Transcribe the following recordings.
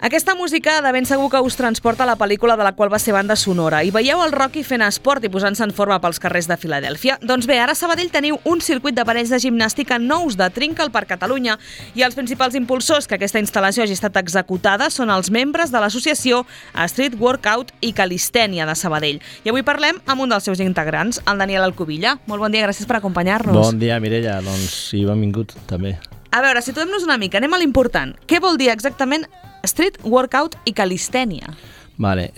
Aquesta música de ben segur que us transporta a la pel·lícula de la qual va ser banda sonora. I veieu el Rocky fent esport i posant-se en forma pels carrers de Filadèlfia? Doncs bé, ara a Sabadell teniu un circuit d'aparells de gimnàstica nous de Trinca per Catalunya i els principals impulsors que aquesta instal·lació hagi estat executada són els membres de l'associació Street Workout i Calistènia de Sabadell. I avui parlem amb un dels seus integrants, el Daniel Alcubilla. Molt bon dia, gràcies per acompanyar-nos. Bon dia, Mireia. Doncs sí, benvingut també. A veure, situem-nos una mica, anem a l'important. Què vol dir exactament Street Workout i Calistènia? Vale.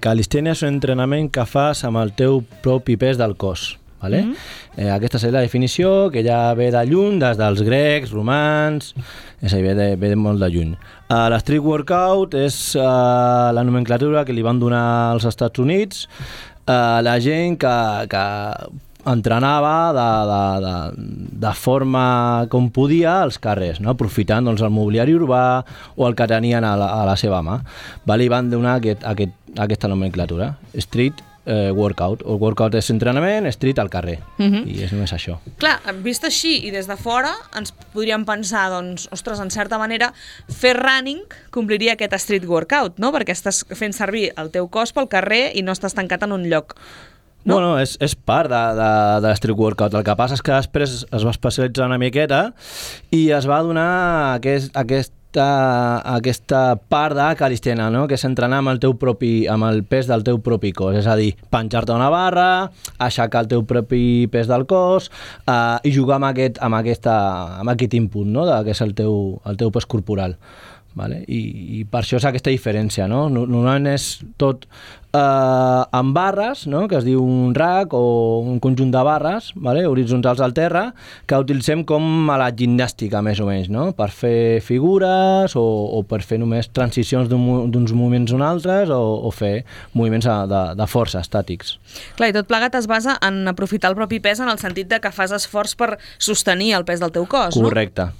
Calistènia és un entrenament que fas amb el teu propi pes del cos. Vale? Aquesta és la definició que ja ve de lluny, des dels grecs, romans, és a dir, ve de molt de lluny. L'Street Workout és la nomenclatura que li van donar als Estats Units la gent que entrenava de forma com podia als carrers, no? Aprofitant doncs, el mobiliari urbà o el que tenien a la seva mà. Vale? I van donar aquesta nomenclatura, Street Workout. El workout és entrenament, street al carrer, i és només això. Clar, vist així i des de fora ens podríem pensar, doncs, ostres, en certa manera, fer running compliria aquest street workout, no? Perquè estàs fent servir el teu cos pel carrer i no estàs tancat en un lloc. No? Bueno, és part de l'Street Workout. El que passa és que després es va especialitzar una miqueta i es va donar aquesta part de calistènia, no? Que és entrenar amb el pes del teu propi cos, és a dir, penjar-te una barra, aixecar el teu propi pes del cos i jugar amb aquest input, no? Que és el teu pes corporal. Vale? I per això és aquesta diferència, no? Normalment és tot amb barres, no? Que es diu un rack o un conjunt de barres, vale? Horitzontals al terra, que utilitzem com a la gimnàstica, més o menys, no? Per fer figures o per fer només transicions d'uns moviments a uns altres o fer moviments de força, estàtics. Clar, i tot plegat es basa en aprofitar el propi pes en el sentit de que fas esforç per sostenir el pes del teu cos, no?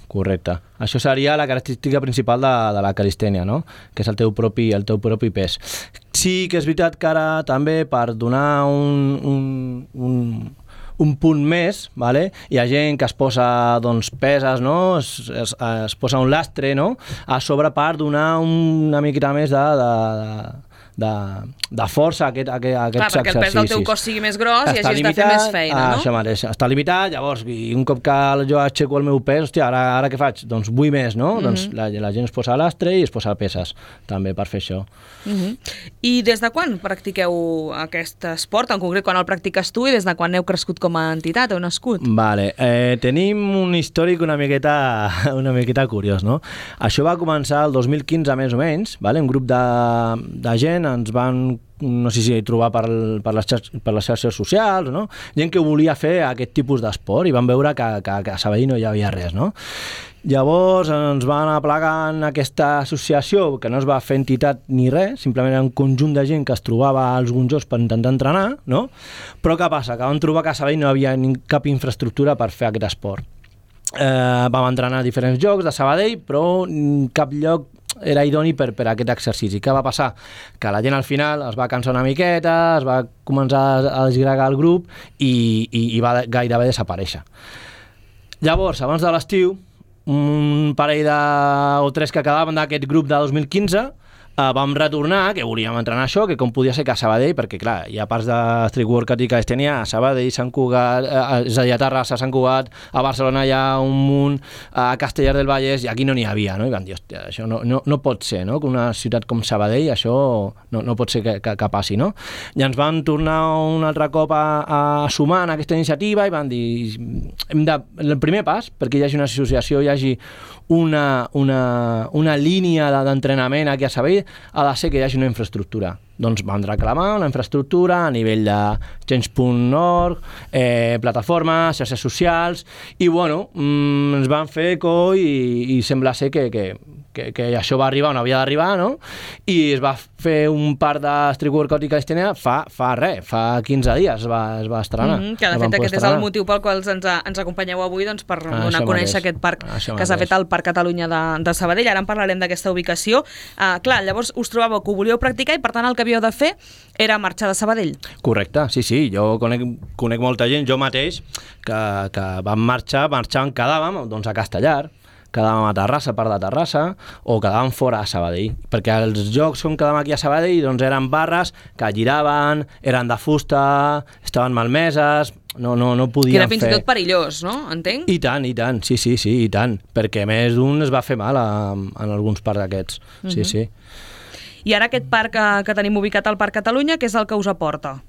Correcte. Això seria la característica principal de la calistènia, no? Que és el teu propi pes. Sí que és veritat que ara també per donar un punt més, vale? Hi ha gent que es posa doncs, peses, no? Es posa un lastre, no? A sobre per donar una miqueta més de força a aquests exercicis. Clar, perquè el pes del teu cos sigui més gros i hagis de fer més feina, no? Això mateix, està limitat, llavors, i un cop que jo aixeco el meu pes, hòstia, ara què faig? Doncs vull més, no? Doncs la gent es posa a l'astre i es posa peses, també, per fer això. I des de quan practiqueu aquest esport? En concret, quan el practiques tu i des de quan heu crescut com a entitat, heu nascut? Vale, tenim un històric una miqueta curiós, no? Això va començar el 2015, més o menys, vale? Un grup de gent ens van, no sé si trobar per les xarxes socials, no? Gent que volia fer aquest tipus d'esport i van veure que a Sabadell no hi havia res, no? Llavors ens van aplegar en aquesta associació, que no es va fer entitat ni res, simplement era un conjunt de gent que es trobava als gonjos per intentar entrenar, no? Però què passa? Que vam trobar que a Sabadell no hi havia cap infraestructura per fer aquest esport. Vam entrenar a diferents llocs de Sabadell, però cap lloc era idoni per aquest exercici. Què va passar? Que la gent al final es va cansar una miqueta, es va començar a desgregar el grup i va gairebé desaparèixer. Llavors, abans de l'estiu, un parell o tres que quedaven d'aquest grup de 2015 vam retornar, que volíem entrenar això, que com podia ser que a Sabadell, perquè clar, hi ha parts de Street Workout i Calistènia a Sabadell, Sant Cugat, és a dir, a Terrassa, Sant Cugat, a Barcelona hi ha un munt, a Castellar del Vallès, i aquí no n'hi havia, no? I van dir, hòstia, això no pot ser, no? Que una ciutat com Sabadell, això no pot ser que passi, no? I ens van tornar un altre cop a sumar en aquesta iniciativa i van dir, el primer pas, perquè hi hagi una associació, hi hagi una línia d'entrenament aquí a Sabadell, ha de ser que hi hagi una infraestructura. Doncs vam reclamar una infraestructura a nivell de change.org, plataformes, xarxes socials, i bueno, ens van fer eco i sembla ser que això va arribar on havia d'arribar, no? I es va fer un part de Street Workout i Calistènia fa 15 dies es va estrenar. Que de fet aquest és el motiu pel qual ens acompanyeu avui, doncs, per donar a conèixer aquest parc que s'ha fet al Parc Catalunya de Sabadell. Ara en parlarem d'aquesta ubicació. Clar, llavors us trobàveu que ho volíeu practicar i per tant el que havíeu de fer era marxar de Sabadell. Correcte, sí. Jo conec molta gent, jo mateix, que vam marxar, en quedàvem doncs, a Castellar. quedàvem a Terrassa, part de Terrassa, o quedàvem fora a Sabadell, perquè els jocs on quedàvem aquí a Sabadell doncs eren barres que giraven, eren de fusta, estaven malmeses, no podien fer... Que era fins i tot perillós, no? Entenc? I tant, sí, i tant, perquè més d'un es va fer mal en alguns parcs d'aquests, sí. I ara aquest parc que tenim ubicat al Parc Catalunya, què és el que us aporta?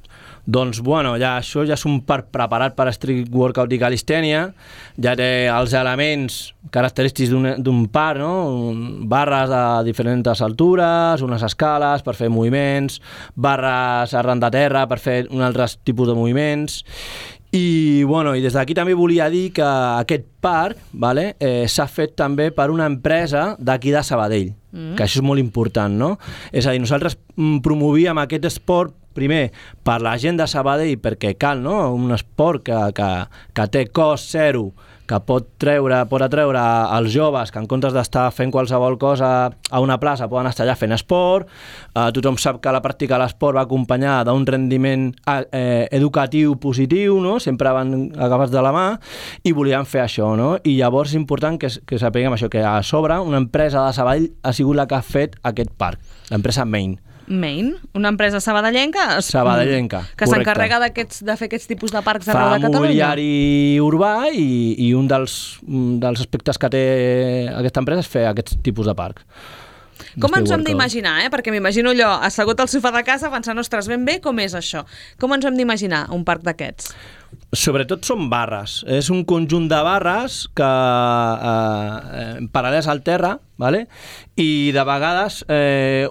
Doncs, bueno, això ja és un parc preparat per street workout i calistènia, ja té els elements característics d'un parc, no? Barres de diferents altures, unes escales per fer moviments, barres arran de terra per fer un altre tipus de moviments. I des d'aquí també volia dir que aquest parc s'ha fet també per una empresa d'aquí de Sabadell, que això és molt important, no? És a dir, nosaltres promovíem aquest esport primer per la gent de Sabadell perquè cal, no? Un esport que té cost zero, que pot atreure als joves que en comptes d'estar fent qualsevol cosa a una plaça poden estar allà fent esport. Tothom sap que la pràctica de l'esport va acompanyada d'un rendiment educatiu positiu, no? Sempre van agafats de la mà i volíem fer això, no? I llavors és important que sapiguem això, que a sobre una empresa de Sabadell ha sigut la que ha fet aquest parc, l'empresa Main. Main, una empresa sabadellenca que s'encarrega de fer aquests tipus de parcs arreu de Catalunya. Fa mobiliari urbà i un dels aspectes que té aquesta empresa és fer aquests tipus de parcs. Com ens ho hem d'imaginar, Perquè m'imagino allò, assegut al sofà de casa pensant, ostres, ben bé, com és això? Com ens ho hem d'imaginar, un parc d'aquests? Sobretot són barres. És un conjunt de barres que paral·leles al terra, i de vegades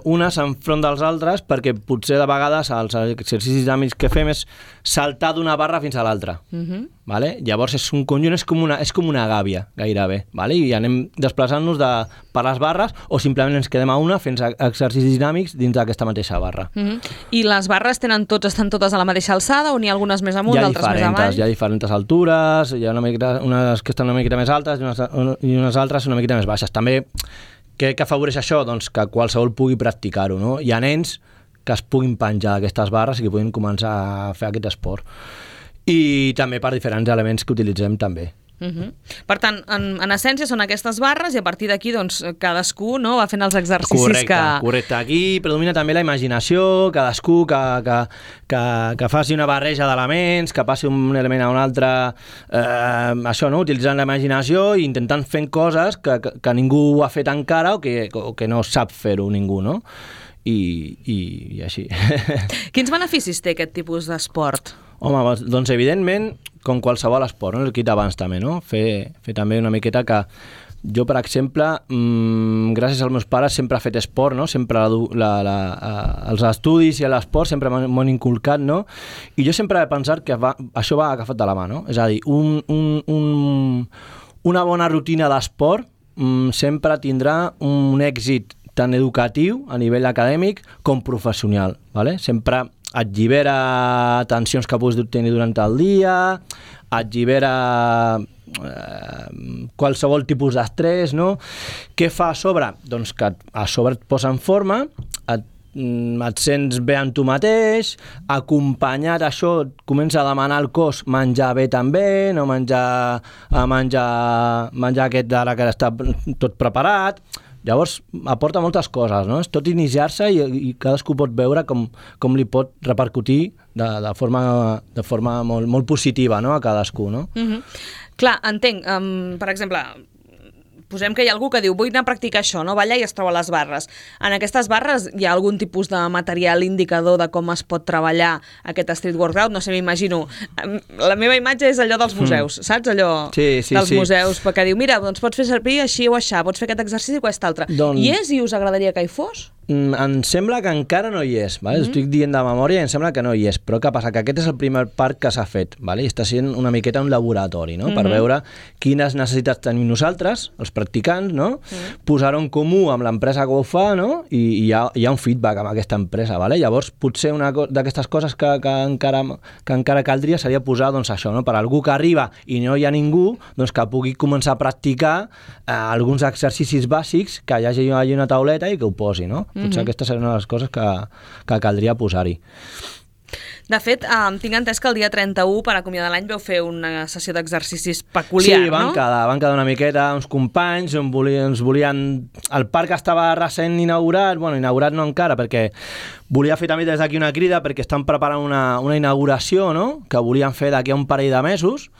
unes enfront dels altres, perquè potser de vegades els exercicis dinàmics que fem és saltar d'una barra fins a l'altra. Llavors és un conjunt, és com una gàbia gairebé, i anem desplaçant-nos per les barres o simplement ens quedem a una fent exercicis dinàmics dins d'aquesta mateixa barra. I les barres estan totes a la mateixa alçada o n'hi ha algunes més amunt, d'altres més avall? Hi ha diferents altures, hi ha unes que estan una miqueta més altes i unes altres una miqueta més baixes. També què afavoreix això? Doncs que qualsevol pugui practicar-ho, no? Hi ha nens que es puguin penjar d'aquestes barres i que puguin començar a fer aquest esport. I també per diferents elements que utilitzem també. Per tant, en essència són aquestes barres i a partir d'aquí cadascú va fent els exercicis Correcte. Aquí predomina també la imaginació, cadascú que faci una barreja d'elements, que passi un element a un altre, això, no? Utilitzant la imaginació i intentant fent coses que ningú ha fet encara o que no sap fer-ho ningú, no? I així. Quins beneficis té aquest tipus d'esport? Home, doncs evidentment, com qualsevol esport, no? El que he dit abans també, no? Fer també una miqueta que jo, per exemple, gràcies als meus pares sempre he fet esport, no? Sempre els estudis i l'esport sempre m'han inculcat, no? I jo sempre he pensat que això va agafat de la mà, no? És a dir, una bona rutina d'esport sempre tindrà un èxit tant educatiu a nivell acadèmic com professional, sempre et llibera tensions que puguis tenir durant el dia, et llibera qualsevol tipus d'estrès, no? Què fa a sobre? Doncs que a sobre et posa en forma, et sents bé amb tu mateix, acompanyat això et comença a demanar al cos menjar bé també, no menjar aquest d'ara que està tot preparat. Llavors aporta moltes coses, no? És tot iniciar-se i cadascú pot veure com li pot repercutir de forma molt positiva, no? A cadascú, no? Clar, entenc. Per exemple, posem que hi ha algú que diu vull anar a practicar això, no? Va allà i es troba a les barres. En aquestes barres hi ha algun tipus de material indicador de com es pot treballar aquest street workout? No sé, m'imagino. La meva imatge és allò dels museus, saps? Allò dels museus, perquè diu, mira, doncs pots fer servir així o aixà, pots fer aquest exercici o aquest altre. I és i us agradaria que hi fos? Em sembla que encara no hi és, estic dient de memòria i em sembla que no hi és, però què passa? Que aquest és el primer parc que s'ha fet, i està sent una miqueta un laboratori, no? Per veure quines necessitats tenim nosaltres, els practicants, no? Posar-ho en comú amb l'empresa que ho fa, no? I hi ha un feedback amb aquesta empresa, llavors potser una d'aquestes coses que encara caldria seria posar això, no? Per algú que arriba i no hi ha ningú, doncs que pugui començar a practicar alguns exercicis bàsics, que hi hagi una tauleta i que ho posi, no? Potser aquesta seria una de les coses que caldria posar-hi. De fet, tinc entès que el dia 31, per acomiadar l'any, vau fer una sessió d'exercicis peculiar, sí, no? Van quedar una miqueta, uns companys, ens volien... El parc estava recent inaugurat, bueno, inaugurat no encara, perquè volia fer també des d'aquí una crida, perquè estan preparant una inauguració, no?, que volien fer d'aquí a un parell de mesos,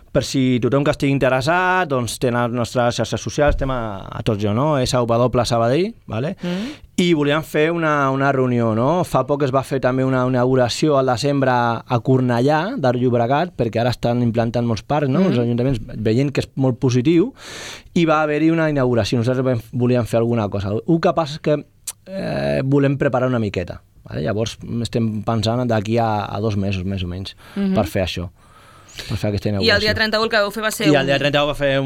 per si tothom que estigui interessat, doncs tenen les nostres xarxes socials, estem a tots jo, no?, SW Sabadell, vale? I volíem fer una reunió, no? Fa poc es va fer també una inauguració al desembre a Cornellà, de Llobregat, perquè ara estan implantant molts parcs, no? Els ajuntaments veient que és molt positiu, i va haver-hi una inauguració. Nosaltres volíem fer alguna cosa. El que passa és que volem preparar una miqueta. Vale? Llavors estem pensant d'aquí a 2 mesos, més o menys, per fer això. Per fer aquesta inauguració. I el dia 31 el que vau fer va ser... I el dia 31 va fer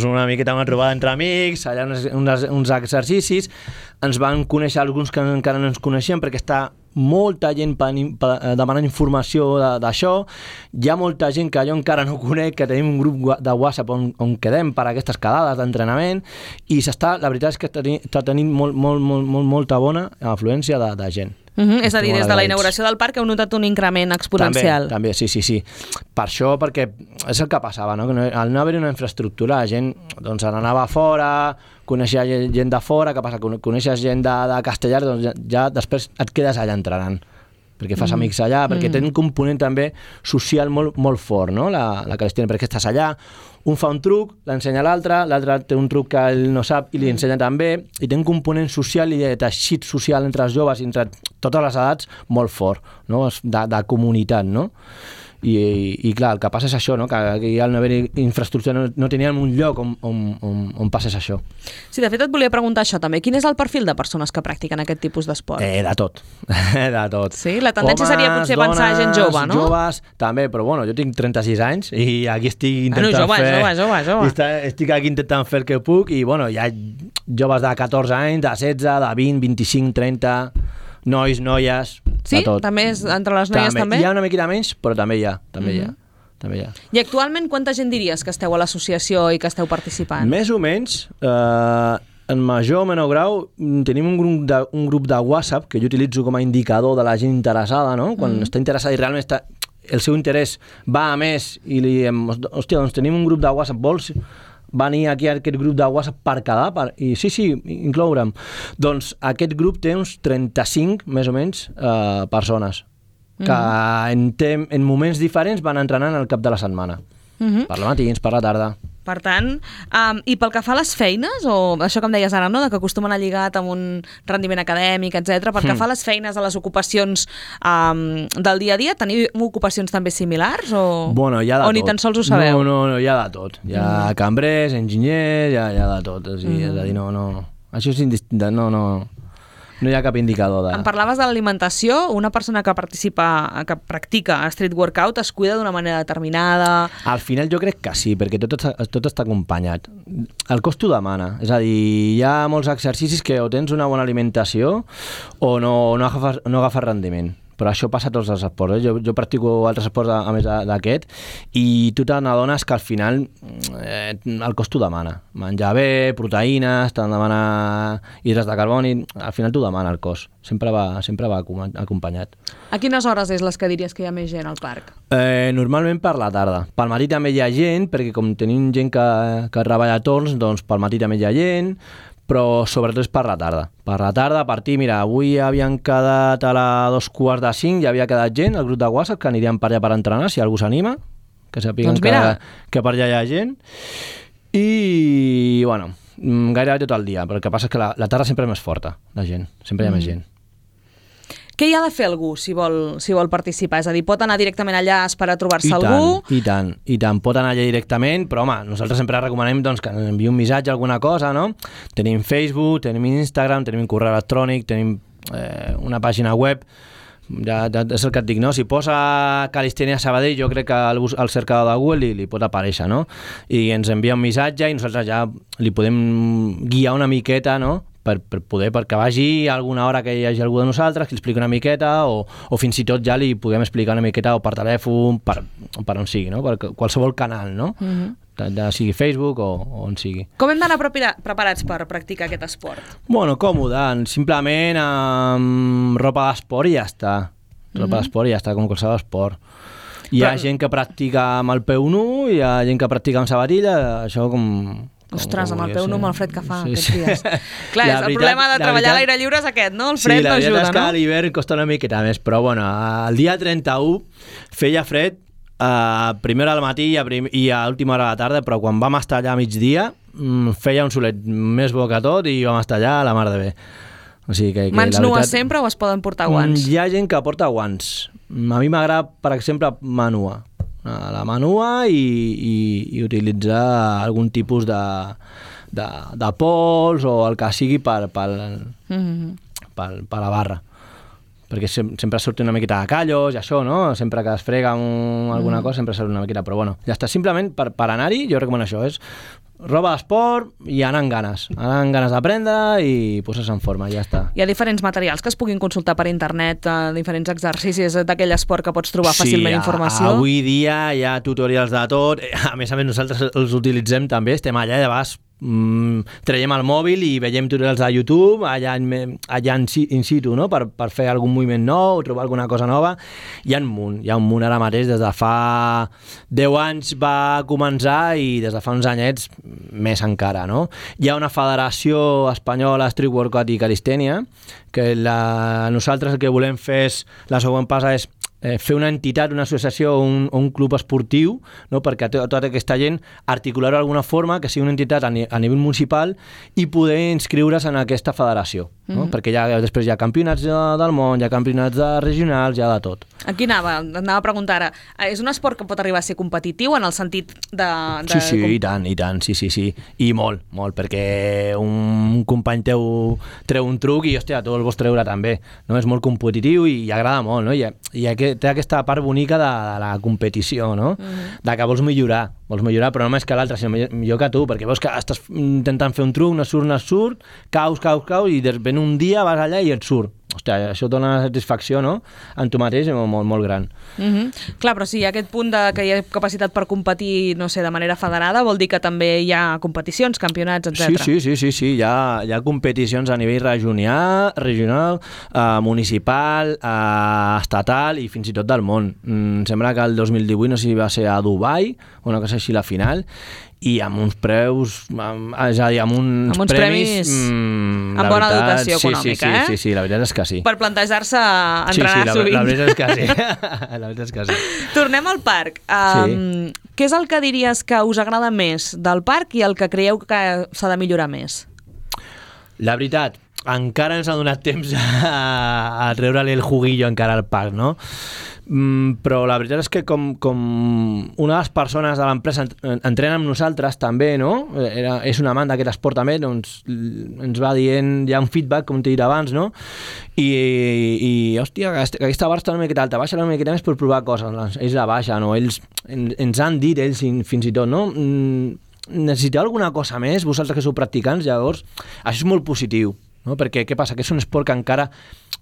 una miqueta una trobada entre amics, allà uns exercicis, ens van conèixer alguns que encara no ens coneixien, perquè està molta gent demanant informació d'això. Hi ha molta gent que jo encara no conec, que tenim un grup de WhatsApp on quedem per aquestes quedades d'entrenament, i la veritat és que està tenint molta bona afluència de gent. És a dir, des de la inauguració del parc heu notat un increment exponencial. També, sí. Per això, perquè és el que passava, no? Al no haver-hi una infraestructura, la gent doncs, anava a fora, coneixia gent de fora, que passa? Coneixes gent de Castellar, doncs ja després et quedes allà entrenant, perquè fas amics allà, perquè té un component també social molt fort, no? La calistènia, perquè estàs allà, un fa un truc, l'ensenya a l'altre té un truc que ell no sap i li ensenya també, i té un component social i de teixit social entre els joves i entre totes les edats molt fort, no? De comunitat, no? I clar, el que passa és això, no? Que al no haver infraestructura no teníem un lloc on passés això. Sí, de fet et volia preguntar això també. Quin és el perfil de persones que practiquen aquest tipus d'esport? De tot. De tot. Sí? La tendència seria potser pensar gent jove, no? Joves, també, però bueno, jo tinc 36 anys i aquí estic intentant jove. Estic aquí intentant fer el que puc i bueno, hi ha joves de 14 anys, de 16, de 20, 25, 30... nois, noies, sí? de tot. També és entre les noies també? Hi ha una miqueta menys, però també hi ha. I actualment quanta gent diries que esteu a l'associació i que esteu participant? Més o menys, en major o menor grau, tenim un grup de WhatsApp que jo utilitzo com a indicador de la gent interessada, no? Quan està interessada i realment el seu interès va a més i li diem, hòstia, doncs tenim un grup de WhatsApp, vols venir aquí a aquest grup de WhatsApp per quedar? I sí, incloure'm. Doncs aquest grup té uns 35, més o menys, persones que en moments diferents van entrenant al cap de la setmana. Per la matins, per la tarda. Per tant, i pel que fa a les feines, o això que em deies ara, no?, de que acostumen a lligat amb un rendiment acadèmic, etc. Pel que fa a les feines, a les ocupacions del dia a dia, teniu ocupacions també similars o ni tan sols ho sabeu? No, hi ha de tot. Hi ha cambrers, enginyers, hi ha de tot. És a dir, no. Això és indistinta, no hi ha cap indicador de... Em parlaves de l'alimentació. Una persona que practica street workout es cuida d'una manera determinada? Al final jo crec que sí, perquè tot està acompanyat. El cos t'ho demana. És a dir, hi ha molts exercicis que o tens una bona alimentació o no agafes rendiment. Però això passa a tots els esports. Jo practico altres esports a més d'aquest i tu te n'adones que al final el cos t'ho demana. Menjar bé, proteïnes, te'n demana hidrats de carboni, al final t'ho demana el cos. Sempre va acompanyat. A quines hores és les que diries que hi ha més gent al parc? Normalment per la tarda. Pel matí també hi ha gent, perquè com tenim gent que treballa a torns, doncs pel matí també hi ha gent, però sobretot és per la tarda. Per la tarda, a partir, mira, avui havien quedat a les 4:45, ja havia quedat gent, el grup de WhatsApp, que anirien per allà per entrenar, si algú s'anima, que sàpiguen que per allà hi ha gent. I, bueno, gairebé tot el dia, però el que passa és que la tarda sempre és més forta, la gent, sempre hi ha més gent. Què hi ha de fer algú si vol participar? És a dir, pot anar directament allà a esperar a trobar-se algú? I tant. Pot anar allà directament, però home, nosaltres sempre recomanem doncs, que ens enviï un missatge, alguna cosa, no? Tenim Facebook, tenim Instagram, tenim correu electrònic, tenim una pàgina web. Ja és el que et dic, no? Si posa Calistènia Sabadell, jo crec que al cercador de Google li pot aparèixer, no? I ens envia un missatge i nosaltres ja li podem guiar una miqueta, no?, perquè vagi a alguna hora que hi hagi algú de nosaltres, que li expliqui una miqueta o fins i tot ja li podem explicar una miqueta o per telèfon, per on sigui, no? Per qualsevol canal, no? Ja sigui Facebook o on sigui. Com hem d'anar preparats per practicar aquest esport? Bueno, còmode, simplement amb ropa d'esport i ja està. roba d'esport i ja està, com qualsevol esport. Hi ha gent que practica amb el peu nu, hi ha gent que practica amb sabatilla, això com... Ostres, amb el peu nu amb el fred que fa aquests dies. Clar, el problema de treballar a l'aire lliure és aquest, no? El fred no ajuda, no? Sí, la veritat és que a l'hivern costa una miqueta més, però bueno, el dia 31 feia fred a primera hora del matí i a última hora de la tarda, però quan vam estar allà a migdia feia un solet més bo que tot i vam estar allà a la mar de bé. O sigui que mans nues sempre o es poden portar guants? Hi ha gent que porta guants. A mi m'agrada, per exemple, mà nua. La mà nua i utilitzar algun tipus de pols o el que sigui per la barra, perquè sempre surt una miqueta de callos i això, no? Sempre que es frega amb alguna cosa sempre surt una miqueta, però bueno, ja està, simplement per anar-hi jo recomano això, és roba d'esport i anar amb ganes d'aprendre i posar-se en forma, ja està. Hi ha diferents materials que es puguin consultar per internet, diferents exercicis d'aquell esport que pots trobar fàcilment informació. Avui dia hi ha tutorials de tot, a més nosaltres els utilitzem també, estem allà, de vegades traiem el mòbil i veiem tutorials de YouTube allà in situ, no? per fer algun moviment nou, trobar alguna cosa nova. Hi ha un munt ara mateix, des de fa 10 anys va començar i des de fa uns anyets més encara, no? Hi ha una federació espanyola Street Workout i Calistènia que nosaltres el que volem fer és, la següent passa és fer una entitat, una associació o un club esportiu, no? Perquè tota aquesta gent articular-ho d'alguna forma, que sigui una entitat a nivell municipal i poder inscriure's en aquesta federació, no? Perquè després hi ha campionats del món, hi ha campionats regionals, hi ha de tot. Aquí anava a preguntar ara, és un esport que pot arribar a ser competitiu en el sentit de... Sí, i tant, sí, i molt, perquè un company teu treu un truc i, hòstia, tu el vols treure també, no? És molt competitiu i agrada molt, no? I té aquesta part bonica de la competició, no? De que vols millorar, però no més que l'altre, sinó millor que tu, perquè veus que estàs intentant fer un truc, no surt, caus, i ben un dia vas allà i et surt. Hòstia, això dona una satisfacció, no? En tu mateix molt, molt gran. Clar, però si hi ha aquest punt que hi ha capacitat per competir, no sé, de manera federada, vol dir que també hi ha competicions, campionats, etc. Sí, hi ha competicions a nivell regional, municipal, estatal i fins i tot del món. Sembla que el 2018, no sé si va ser a Dubai, una cosa així, la final, i amb uns preus, és a dir, amb uns premis amb bona dotació econòmica, Sí, la veritat és que sí. Per plantejar-se entrenar sovint. La veritat és que sí. Tornem al parc. Què és el que diries que us agrada més del parc i el que creieu que s'ha de millorar més? La veritat, encara ens ha donat temps a treure-li el juguillo encara al parc, no? Però la veritat és que com una de les persones de l'empresa entrena amb nosaltres també, no? És un amant d'aquest esport també, doncs ens va dient, hi ha un feedback, com t'he dit abans, no? I hòstia, aquesta barra està una miqueta alta, baixa una miqueta més per provar coses, ells la baixen, no? Ells ens han dit, ells fins i tot, no? Necessiteu alguna cosa més, vosaltres que sou practicants, llavors, això és molt positiu, no? Perquè què passa? Que és un esport que encara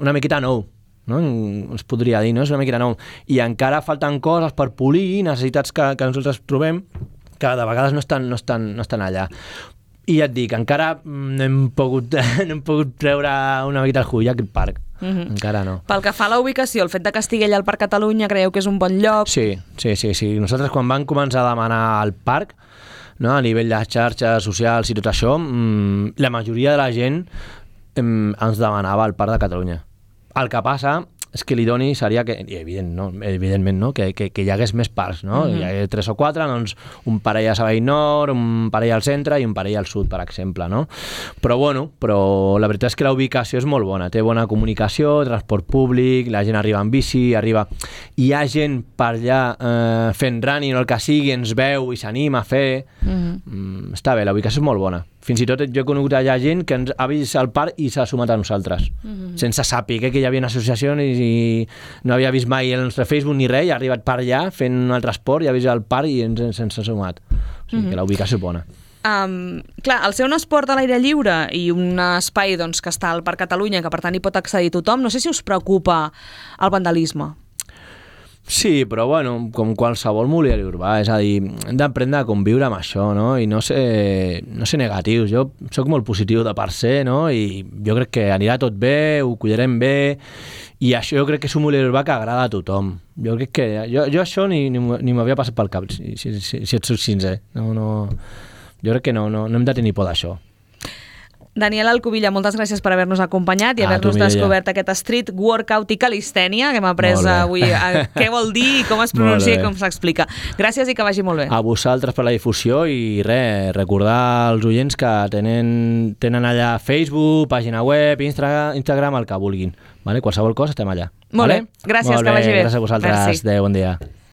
una miqueta nou, no? Es podria dir, no? És una miqueta nou i encara falten coses per polir, necessitats que nosaltres trobem que de vegades no estan allà, i ja et dic, encara no hem pogut treure una miqueta el jull a aquest parc. Encara no. Pel que fa a la ubicació, el fet de que estigui allà al Parc Catalunya, creieu que és un bon lloc? Sí. Nosaltres quan vam començar a demanar el parc, no? A nivell de xarxes socials i tot això, la majoria de la gent ens demanava el Parc de Catalunya. El que passa és que l'idoni seria que, evidentment, no? Que hi hagués més parcs, no? Hi hagués 3 o 4, doncs un parell a Sabadell Nord, un parell al centre i un parell al sud, per exemple, no? Però la veritat és que la ubicació és molt bona, té bona comunicació, transport públic, la gent arriba en bici, hi ha gent per allà fent running o el que sigui, ens veu i s'anima a fer. Està bé, la ubicació és molt bona. Fins i tot jo he conegut allà gent que ens ha vist al parc i s'ha sumat a nosaltres, sense saber que hi havia associacions i no havia vist mai el nostre Facebook ni res, i ha arribat per allà fent un altre esport i ha vist el parc i ens ha sumat. O sigui que la ubicació és bona. Clar, al ser un esport a l'aire lliure i un espai doncs, que està al Parc Catalunya, que per tant hi pot accedir tothom, no sé si us preocupa el vandalisme. Sí, però bueno, com qualsevol mobiliari urbà, és a dir, hem d'aprendre a conviure amb això, no? I no ser negatius. Jo soc molt positiu de per ser, no? I jo crec que anirà tot bé, ho cuidarem bé I això jo crec que és un moviment urbà que agrada a tothom. Jo crec que... Jo això ni m'havia passat pel cap, si et soc sincer. Jo crec que no hem de tenir por d'això. Daniel Alcubilla, moltes gràcies per haver-nos acompanyat i haver-nos descobert aquest street workout i calistènia, que hem après avui què vol dir, com es pronuncia i com s'explica. Gràcies i que vagi molt bé. A vosaltres per la difusió i recordar als oients que tenen allà Facebook, pàgina web, Instagram, el que vulguin. Qualsevol cosa estem allà. Molt bé, gràcies, que vagi bé. Gràcies a vosaltres. Adéu, bon dia.